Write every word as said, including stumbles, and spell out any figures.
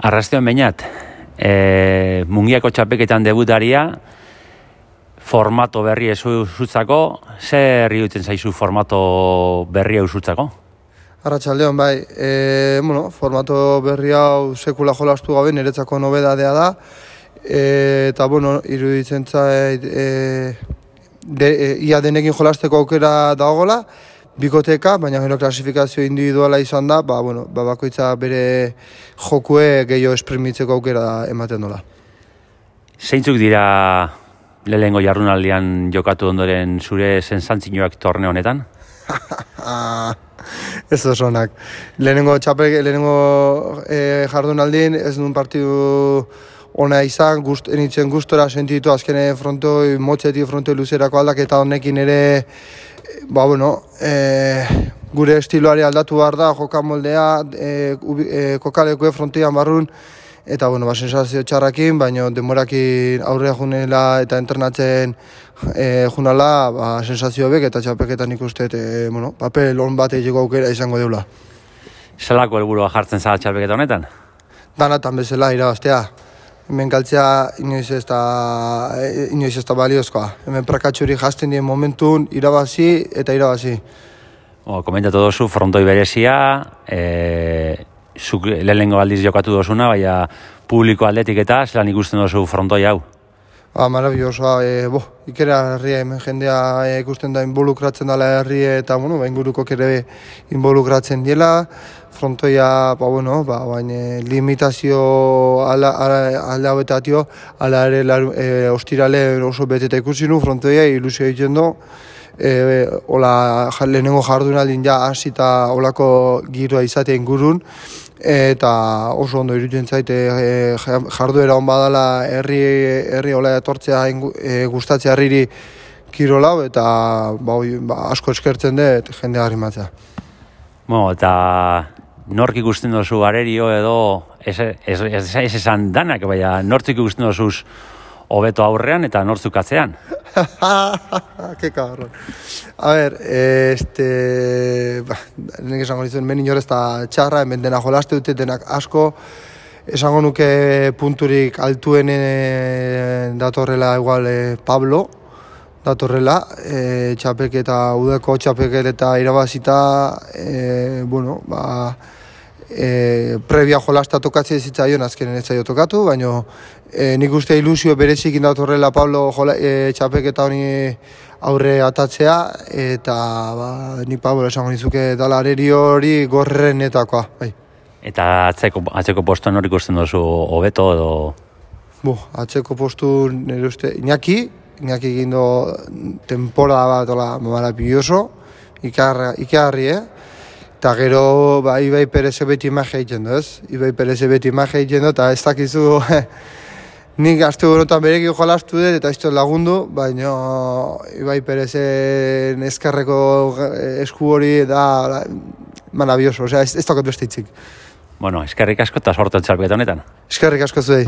Arrastion bainat, e, Mungiako txapeketan debutaria, formato berri ezu zutzako, zer iruditzen zaizu formato berri hau zutzako? Arratsaldeon, bai, e, bueno, formato berri hau sekula jolastu gabe niretzako nobedadea da, e, eta, bueno, iruditzen zait, e, de, e, ia denekin jolasteko aukera dagoela, bikoteka, baina gero klasifikazio individuala izan da, ba, bueno, ba, bakoitza bere jokue gehiago esprimitzeko aukera ematen dola. Zeintzuk dira lehenengo jardunaldian jokatu ondoren zure sensatzioak torneo honetan? Ez osonak. Lehenengo txapel, lehenengo e, jardunaldin ez duen partidu ona izan, gust, enitzen gustora sentitu azkene frontoi, motxetik frontoi luzerako aldaketa honekin ere, ba, bueno, e, gure estiloari aldatu behar da, jokamoldea, e, e, kokalekue frontoian barrun, eta, bueno, ba, sensazio txarrakin, baina denborakin aurrea junela eta entrenatzen e, junala, ba, sensazio bek eta txapeketan ikuste, e, bueno, papel on bat egiteko aukera izango deula. Zelako helburua jartzen zara txapeketa honetan? Danatan bezala irabaztea. Hemen galtzea inoiz ez da, inoiz ez da baliozkoa. Hemen prakatxuri jazten dien momentun irabazi eta irabazi. O, komentatu dozu frontoi berezia, e, zuk lehenengo aldiz jokatu dozuna, baina publiko aldetik eta zelan ikusten dozu frontoi hau? Ba, marabillosoa, e, bo, ikera herria hemen jendea e, ikusten da involukratzen dela herria eta, bueno, ba, inguruko ere involukratzen diela. Frontoia, ba, bueno, ba, baina limitazio ala, ala, alde hauetatio, ala ere e, ostirale oso beteta ikusi nu, frontoia ilusio egiten du. E, ola, lehenengo jardunaldin ja hasita olako giroa izatea ingurun, eta oso ondo iruditzen zaite e, jarduera on badala herri herri ola etortzea e, gustatzea herriri kirolau eta ba, ba, asko eskertzen dut jendea animatzea. Bueno, eta nork ikusten dozu arerio edo ez, ez, ez, ez esan danak, baina nortzuk ikusten dozuz hobeto aurrean eta nortzuk atzean? Ke cabrón. A ver, este, ba, nik esango nizuen, men inor ez da txarra, hemen dena jolaste dute, denak asko, esango nuke punturik altuen datorrela igual eh, Pablo, datorrela, e, txapeketa, udeko txapeketa irabazita, e, bueno, ba, e, previa jolasta tokatzea zitzaion, azkenen ez zaio tokatu, baina e, nik uste ilusio berezikin datorrela Pablo jola, e, txapeketa honi aurre atatzea, eta ba, ni Pablo esango nizuke dala arerio hori gorrenetakoa. Bai. Eta atzeko, atzeko postuan hori ikusten duzu hobeto edo? Bo, atzeko postu nire uste, Iñaki, Iñaki egin do temporada bat ola maravilloso, ikarri, eh? Eta gero, ba, Ibai Perez beti imagia egiten du, ez? Ibai Perez beti imagia egiten du, eta ez dakizu, nik aste honetan berekin jolastu dut, eta ez dut lagundu, baina Ibai Perezen eskerreko esku hori da maravilloso, osea, ez, ez dakat beste hitzik. Bueno, eskerrik asko eta sortu txapeketa honetan. Eskerrik asko zuei.